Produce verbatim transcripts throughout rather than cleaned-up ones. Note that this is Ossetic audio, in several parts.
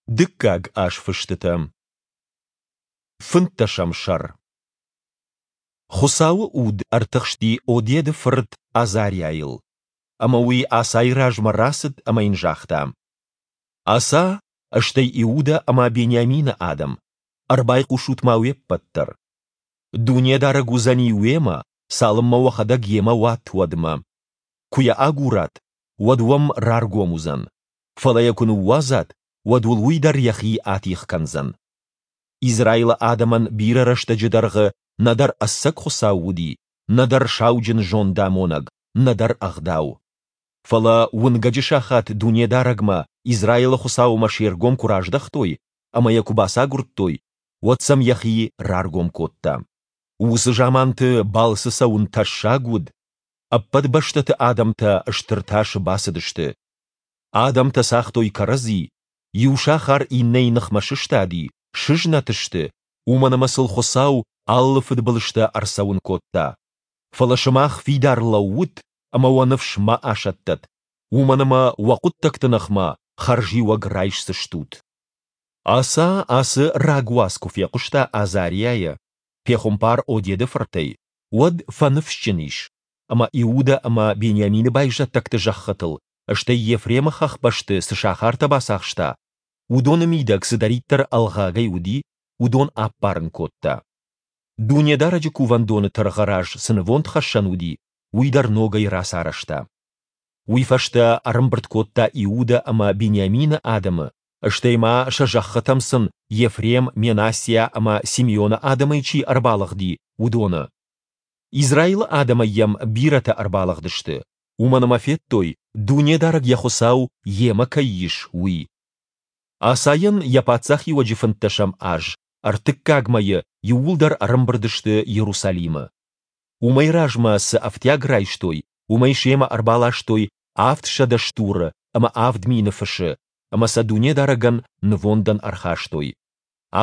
Дыккаг азфыстытӕ. Фынддӕсӕм сӕр. Хуыцауы Уд ӕртыхсти Одеды фырт Азариайыл. Ӕмӕ уый Асайы размӕ рацыд ӕмӕ йын загъта: Аса, стӕй Иудӕ ӕмӕ Бениамины адӕм, ӕрбайхъусут-ма уе ппӕт дӕр. Дунедарӕг уыдзӕни уемӕ, цалынмӕ уӕхӕдӕг йемӕ уат, уӕдмӕ. Куы йӕ агурат, уӕд уӕм раргом уыдзӕн, фӕлӕ йӕ куы ныууадзат, уӕд уыл уый дӕр йӕхи атигъ кӕндзӕн. Израилы адӕмӕн бирӕ рӕстӕджы дӕргъы нӕдӕр ӕцӕг Хуыцау уыди, нӕдӕр сауджын зондамонӕг, нӕдӕр ӕгъдау. Фӕлӕ уынгӕджы сахат Дунедарӕгмӕ, Израилы Хуыцаумӕ се ргом куы раздӕхтой ӕмӕ йӕ куы бацагуырдтой, уӕд сӕм йӕхи раргом кодта. Уыцы заманты балцы цӕуын тӕссаг уыд, ӕппӕт бӕстӕты адӕмтӕ стыр тасы бацыдысты. Адӕмтӕ цагътой кӕрӕдзи, иу сахар иннӕйы ныхмӕ сыстади, сызнӕт сты, уымӕн ӕмӕ сыл Хуыцау алы фыдбылызтӕ ӕрцӕуын кодта. Фӕлӕ сымах фидар лӕуут ӕмӕ уӕ ныфс ма асӕттӕд, уымӕн ӕмӕ уӕ хъуыддӕгты ныхмӕ хӕрзиуӕг райсдзыстут. Аса ацы рагуац куы фехъуыста Азариайӕ, пехуымпар Одеды фыртӕй, уӕд фӕныфсджын ис, ӕмӕ Иудӕ ӕмӕ Бениамины байзӕддӕгты зӕххытыл, стӕй Ефремы хӕхбӕсты цы сахартӕ бацахста, уыдоны мидӕг цыдӕриддӕр ӕлгъагӕй уыди, уыдон аппарын кодта. Дунедарӕджы кувӕндоны тыргъы раз цы нывондхӕссӕн уыди, уый дӕр ногӕй рацарӕзта. Уый фӕстӕ ӕрӕмбырд кодта Иудӕ ӕмӕ Бениамины адӕмы, стӕй ма сӕ зӕххытӕм сын Ефрем, Менассиа ӕмӕ Симеоны адӕмӕй чи ӕрбалыгъди, уыдоны. Израилы адӕмӕй йӕм бирӕтӕ ӕрбалыгъдысты, уымӕн ӕмӕ федтой, Дунедарӕг йӕ Хуыцау йемӕ кӕй ис, уый. Асайӕн йӕ паддзахиуӕджы фынддӕсӕм аз, ӕртыккаг мӕйы, иууылдӕр ӕрӕмбырд сты Иерусалимы. Уымӕй размӕ цы ӕфтиаг райстой, уымӕй семӕ ӕрбаластой авдсӕдӕ стуры ӕмӕ авд мины фысы, ӕмӕ сӕ Дунедарӕгӕн нывондӕн ӕрхастой.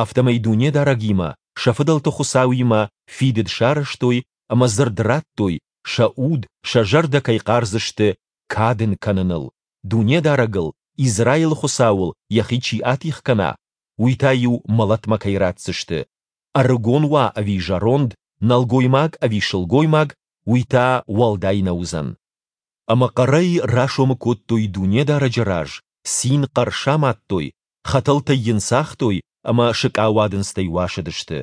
Афтӕмӕй Дунедарӕгимӕ, сӕ фыдӕлты Хуыцауимӕ, фидыд сарӕзтой ӕмӕ дзырд радтой, сӕ уд, сӕ зӕрдӕ кӕй хъардзысты кад ын кӕныныл, Дунедарӕгыл, Израилы Хуыцауыл йӕхи чи атигъ кӕна, уый та-иу мӕлӕтмӕ кӕй ратдзысты, ӕрыгон уа ӕви зӕронд, нӕлгоймаг ӕви сылгоймаг, уый та уӕлдай нӕ уыдзӕн. Ӕмӕ хъӕрӕй расомы кодтой Дунедарӕджы раз, цин хъӕр самадтой, хӕтӕлтӕй йын цагътой ӕмӕ сыкъауадындзтӕй уасыдысты.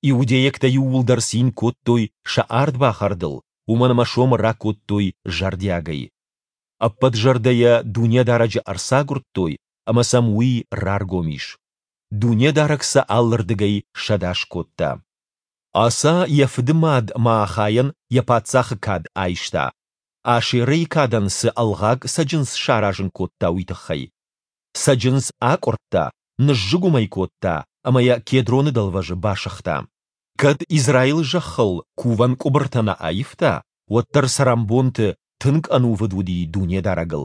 Иудейӕгтӕ иууылдӕр цин кодтой сӕ ардбахӕрдыл, уымӕн ӕмӕ сомы ракодтой зӕрдиагӕй. Ӕппӕт зӕрдӕйӕ Дунедарӕджы ӕрцагуырдтой, ӕмӕ сӕм Уый раргом ис. Дунедарӕг сӕ алырдыгӕй сӕдас кодта. Аса йӕ фыды мад Маахайӕн йӕ паддзахы кад айста, Ашерӕйы кадӕн цы ӕлгъаг цӕджындз саразын кодта, уый тыххӕй. Цӕджындз акъуырдта, ныззыгуым ӕй кодта ӕмӕ йӕ Кедроны дӕлвӕзы басыгъта. Кӕд Израилы зӕххыл кувӕн къуыбыртӕ нӕ аивта, уӕддӕр цӕрӕнбонты тынг ӕнувыд уыди Дунедарӕгыл.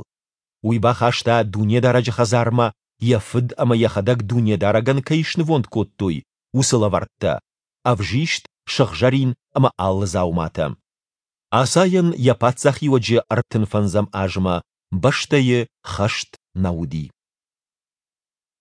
Уый бахаста Дунедарӕджы хӕдзармӕ, йӕ фыд ӕмӕ йӕхӕдӕг Дунедарӕгӕн кӕй снывонд кодтой, уыцы лӕвӕрттӕ: ӕвзист, сыгъзӕрин ӕмӕ алы дзауматӕ. Асайӕн йӕ паддзахиуӕджы ӕртын фӕндзӕм азмӕ бӕстӕйы хӕст нӕ уыди.